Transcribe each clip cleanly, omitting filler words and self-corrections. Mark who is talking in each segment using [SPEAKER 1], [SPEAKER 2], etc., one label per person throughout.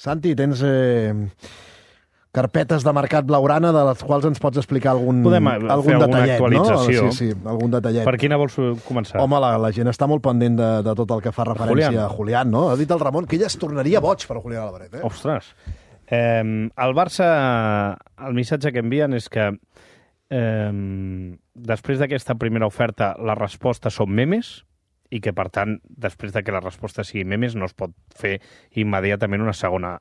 [SPEAKER 1] Santi, tens carpetes de mercat blaugrana de les quals ens pots explicar algun detallet,
[SPEAKER 2] actualització.
[SPEAKER 1] No? Sí, algun detallet.
[SPEAKER 2] Per quina vols començar?
[SPEAKER 1] Home, la gent està molt pendent de tot el que fa referència a Julián, no? Ha dit el Ramon que ell es tornaria boig per Julián Álvarez, eh?
[SPEAKER 2] Ostres. El Barça, el missatge que envien és que després d'aquesta primera oferta la resposta són memes i que, per tant, després de que la resposta sigui memes no es pot fer immediatament una segona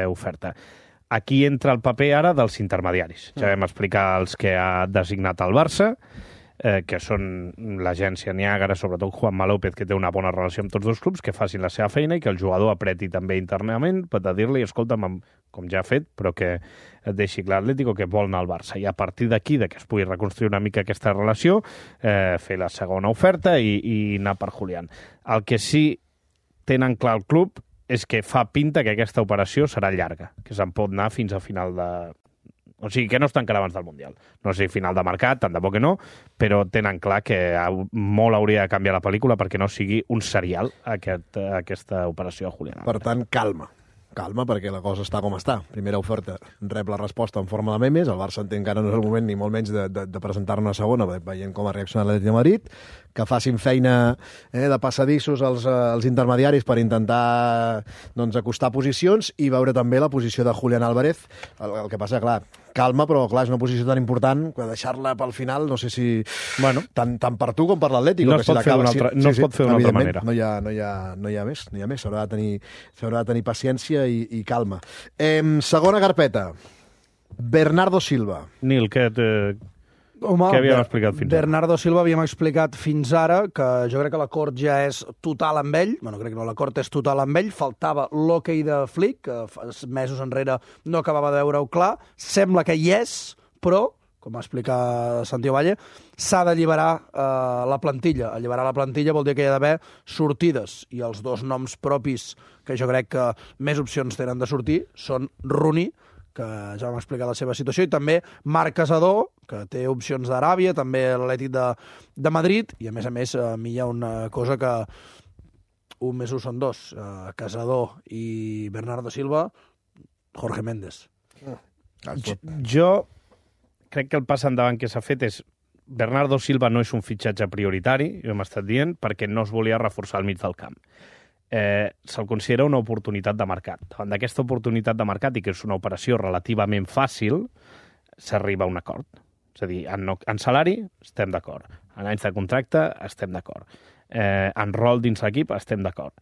[SPEAKER 2] oferta. Aquí entra el paper ara dels intermediaris. Ja vam explicar els que ha designat el Barça, que són l'agència Niàgara, sobretot Juanma López, que té una bona relació amb tots dos clubs, que facin la seva feina i que el jugador apreti també internament per dir-li, escolta'm, com ja ha fet, però que et deixi clar l'Atlético que vol anar al Barça. I a partir d'aquí, que es pugui reconstruir una mica aquesta relació, fer la segona oferta i anar per Julián. El que sí tenen clar el club és que fa pinta que aquesta operació serà llarga, que se'n pot anar fins a final de... O sigui, que no es tancarà abans del Mundial. No sé, final de mercat, tant de bo que no, però tenen clar que molt hauria de canviar la pel·lícula perquè no sigui un serial aquesta operació a Julián.
[SPEAKER 1] Per tant, calma, perquè la cosa està com està. Primera oferta, rep la resposta en forma de memes, el Barça entén que ara no és el moment ni molt menys de presentar-ne una segona, veient com ha reaccionat l'Atlètic de Madrid, que facin feina de passadissos als intermediaris per intentar acostar posicions i veure també la posició de Julián Álvarez. El que passa, clar, calma, però clar, és una posició tan important que deixar-la pel final, no sé si...
[SPEAKER 2] Bueno,
[SPEAKER 1] tant per tu com per l'Atlético.
[SPEAKER 2] No es pot fer d'una altra manera.
[SPEAKER 1] No hi ha més. S'haurà de tenir paciència i calma. Segona carpeta. Bernardo Silva.
[SPEAKER 2] Nil, què havíem explicat fins ara?
[SPEAKER 3] Bernardo Silva havíem explicat fins ara que jo crec que l'acord ja és total amb ell. Bueno, crec que no, l'acord és total amb ell. Faltava l'hoquei de Flick, que mesos enrere no acabava de veure-ho clar. Sembla que hi és, però, com va explicar Santiago Valle, s'ha d'alliberar la plantilla. Alliberar la plantilla vol dir que hi ha d'haver sortides. I els dos noms propis que jo crec que més opcions tenen de sortir són Rooney, que ja vam explicar la seva situació, i també Marc Casador, que té opcions d'Aràbia, també l'Atlètic de Madrid, i a més a mi hi ha una cosa que 1 més 1 són 2. Casador i Bernardo Silva, Jorge Méndez.
[SPEAKER 2] Jo crec que el pas endavant que s'ha fet és Bernardo Silva no és un fitxatge prioritari, ho hem estat dient, perquè no es volia reforçar al mig del camp. Se'l considera una oportunitat de mercat. Davant d'aquesta oportunitat de mercat, i que és una operació relativament fàcil, s'arriba a un acord. És a dir, en salari estem d'acord, en anys de contracte estem d'acord, en rol dins l'equip estem d'acord.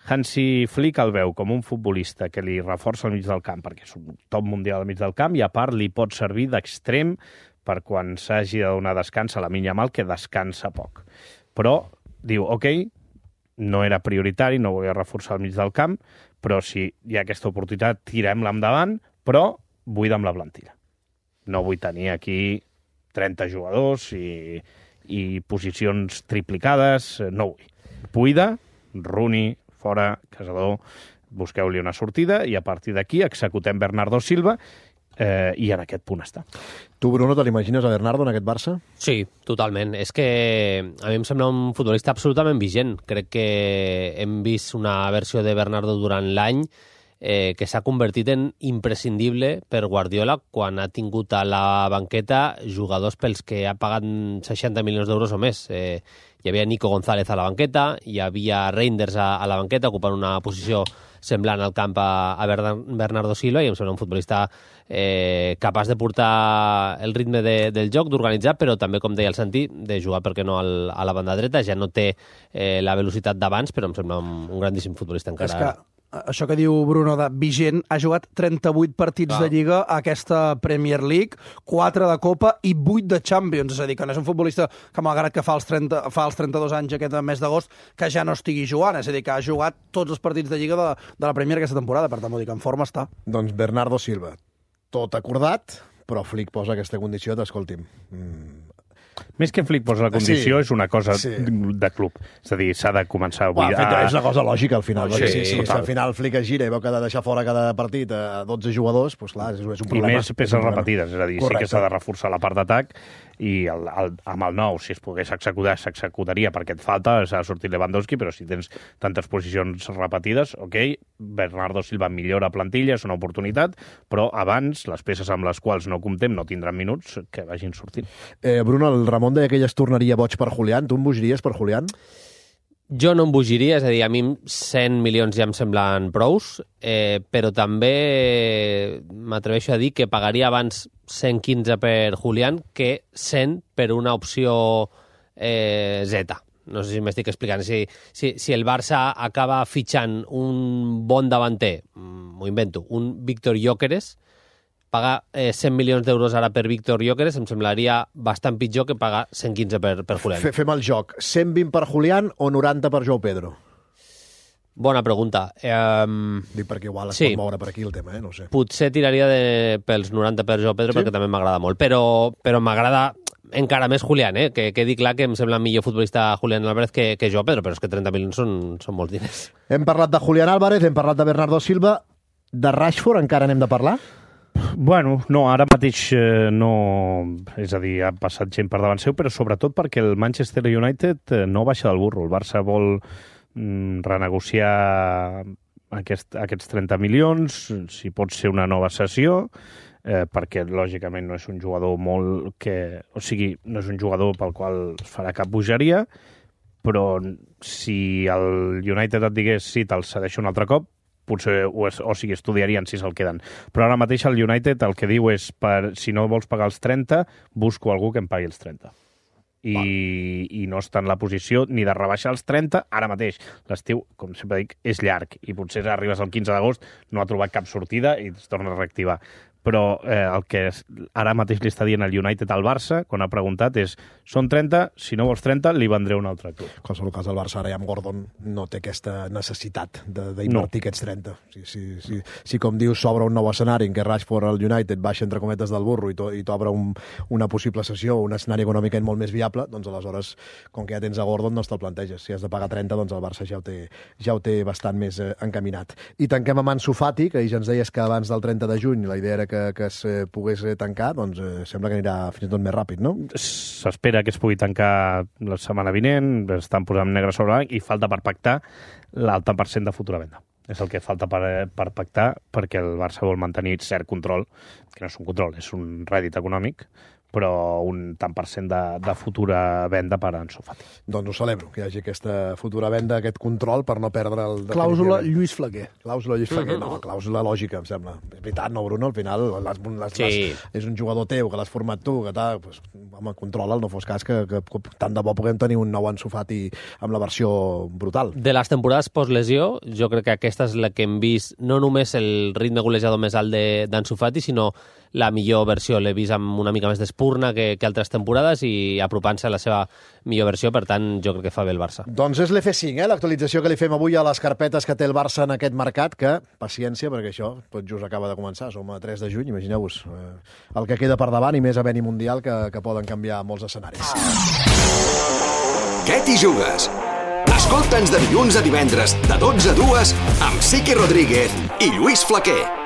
[SPEAKER 2] Hansi Flick el veu com un futbolista que li reforça al mig del camp, perquè és un top mundial al mig del camp, i a part li pot servir d'extrem per quan s'hagi de donar descans a Lamine Yamal, que descansa poc. Però diu, ok, no era prioritari, no volia reforçar al mig del camp, però si hi ha aquesta oportunitat, tirem-la endavant, però buida'm la plantilla. No vull tenir aquí 30 jugadors i posicions triplicades, no vull. Buida, Rooney, fora, Casador, busqueu-li una sortida i a partir d'aquí executem Bernardo Silva i en aquest punt està.
[SPEAKER 1] Tu, Bruno, te l'imagines a Bernardo en aquest Barça?
[SPEAKER 4] Sí, totalment. És que a mi em sembla un futbolista absolutament vigent. Crec que hem vist una versió de Bernardo durant l'any que s'ha convertit en imprescindible per Guardiola quan ha tingut a la banqueta jugadors pels que ha pagat 60 milions d'euros o més. Hi havia Nico González a la banqueta, hi havia Reinders a la banqueta ocupant una posició semblant al camp a Bernardo Silva, i em sembla un futbolista capaç de portar el ritme del joc, d'organitzar, però també, com deia el Santi, de jugar, per què no, a la banda dreta. Ja no té la velocitat d'abans, però em sembla un grandíssim futbolista encara.
[SPEAKER 3] És que això que diu Bruno de vigent, ha jugat 38 partits de Lliga a aquesta Premier League, 4 de Copa i 8 de Champions. És a dir, que no és un futbolista que, malgrat que fa els 32 anys aquest mes d'agost, que ja no estigui jugant. És a dir, que ha jugat tots els partits de Lliga de la Premier aquesta temporada. Per tant, vull dir que en forma està.
[SPEAKER 1] Doncs Bernardo Silva, tot acordat, però Flick posa aquesta condició d'escolti'm,
[SPEAKER 2] Més que Flick posa la condició, és una cosa de club. És a dir, s'ha de començar a buidar...
[SPEAKER 1] És una cosa lògica, al final.
[SPEAKER 2] Sí,
[SPEAKER 1] si al final Flick es gira i veu que ha de deixar fora cada partit a 12 jugadors, doncs clar, és un problema.
[SPEAKER 2] I més peces repetides, és a dir, sí que s'ha de reforçar la part d'atac i amb el nou, si es pogués executar, s'executaria perquè et falta, s'ha sortit Lewandowski, però si tens tantes posicions repetides, Bernardo Silva millora plantilla, és una oportunitat, però abans les peces amb les quals no comptem no tindran minuts, que vagin sortint.
[SPEAKER 1] Bruno, el Ramon deia que ell es tornaria boig per Julián. Tu em bogiries per Julián?
[SPEAKER 4] Jo no em bogiria, és a dir, a mi 100 milions ja em semblen prous, però també m'atreveixo a dir que pagaria abans 115 per Julián que 100 per una opció Z. No sé si m'estic explicant. Si el Barça acaba fitxant un bon davanter, m'ho invento, un Víctor Gyökeres, pagar 100 milions d'euros ara per Víctor Gyökeres em semblaria bastant pitjor que pagar 115 per Julián.
[SPEAKER 1] Fem el joc. 120 per Julián o 90 per Joao Pedro?
[SPEAKER 4] Bona pregunta.
[SPEAKER 1] Dic perquè igual es pot moure per aquí el tema, no sé.
[SPEAKER 4] Potser tiraria pels 90 per Joao Pedro perquè també m'agrada molt, però m'agrada encara més Julián, que quedi clar que em sembla millor futbolista Julián Álvarez que Joao Pedro, però és que 30 milions són molts diners.
[SPEAKER 1] Hem parlat de Julián Álvarez, hem parlat de Bernardo Silva. De Rashford encara n'hem de parlar?
[SPEAKER 2] Bueno, no, ara mateix no... És a dir, ha passat gent per davant seu, però sobretot perquè el Manchester United no baixa del burro. El Barça vol renegociar aquests 30 milions, si pot ser una nova cessió, perquè lògicament no és un jugador molt que... O sigui, no és un jugador pel qual es farà cap bogeria, però si el United et digués sí, te'l cedeixo un altre cop, potser estudiarien si se'l queden. Però ara mateix el United el que diu és si no vols pagar els 30, busco algú que em pagui els 30. I no està en la posició ni de rebaixar els 30 ara mateix. L'estiu, com sempre dic, és llarg i potser arribes al 15 d'agost, no ha trobat cap sortida i es torna a reactivar. Però el que ara mateix li està dient el United al Barça, quan ha preguntat, és són 30, si no vols 30, li vendré un altre club.
[SPEAKER 1] En qualsevol cas, el Barça ara ja amb Gordon no té aquesta necessitat d'invertir aquests 30. Si com dius, s'obre un nou escenari en què Rashford al United baixa entre cometes del burro i t'obre una possible cessió, un escenari econòmicament molt més viable, doncs aleshores, com que ja tens a Gordon, no te'l planteges. Si has de pagar 30, doncs el Barça ja ho té bastant més encaminat. I tanquem amb Ansu Fati, que ja ens deies que abans del 30 de juny la idea era que es pogués tancar, doncs sembla que anirà fins i tot més ràpid, no?
[SPEAKER 2] S'espera que es pugui tancar la setmana vinent, estan posant negre sobre blanc i falta per pactar l'alta % de futura venda. És el que falta per pactar perquè el Barça vol mantenir cert control, que no és un control, és un rèdit econòmic, però un tant % de futura venda per Ansu Fati.
[SPEAKER 1] Doncs ho celebro, que hi hagi aquesta futura venda, aquest control per no perdre el...
[SPEAKER 3] Clàusula Lluís Flaquer.
[SPEAKER 1] Clàusula Lluís Flaquer, no, clàusula lògica, em sembla. És veritat, no, Bruno? Al final és un jugador teu, que l'has format tu, que tal, pues, home, controla'l, no fos cas que tant de bo puguem tenir un nou Ansu Fati amb la versió brutal.
[SPEAKER 4] De les temporades post-lesió, jo crec que aquesta és la que hem vist, no només el ritme golejador més alt d'Ansu Fati, sinó la millor versió. L'he vist amb una mica més d'espurna que altres temporades i apropant-se a la seva millor versió, per tant, jo crec que fa bé el Barça.
[SPEAKER 1] Doncs és l'F5, l'actualització que li fem avui a les carpetes que té el Barça en aquest mercat, que, paciència, perquè això tot just acaba de començar, som a 3 de juny, imagineu-vos el que queda per davant i més havent-hi Mundial que poden canviar molts escenaris.
[SPEAKER 5] Què t'hi jugues? Escolta'ns de dilluns a divendres, de 12 a 2, amb Siqui Rodríguez i Lluís Flaquer.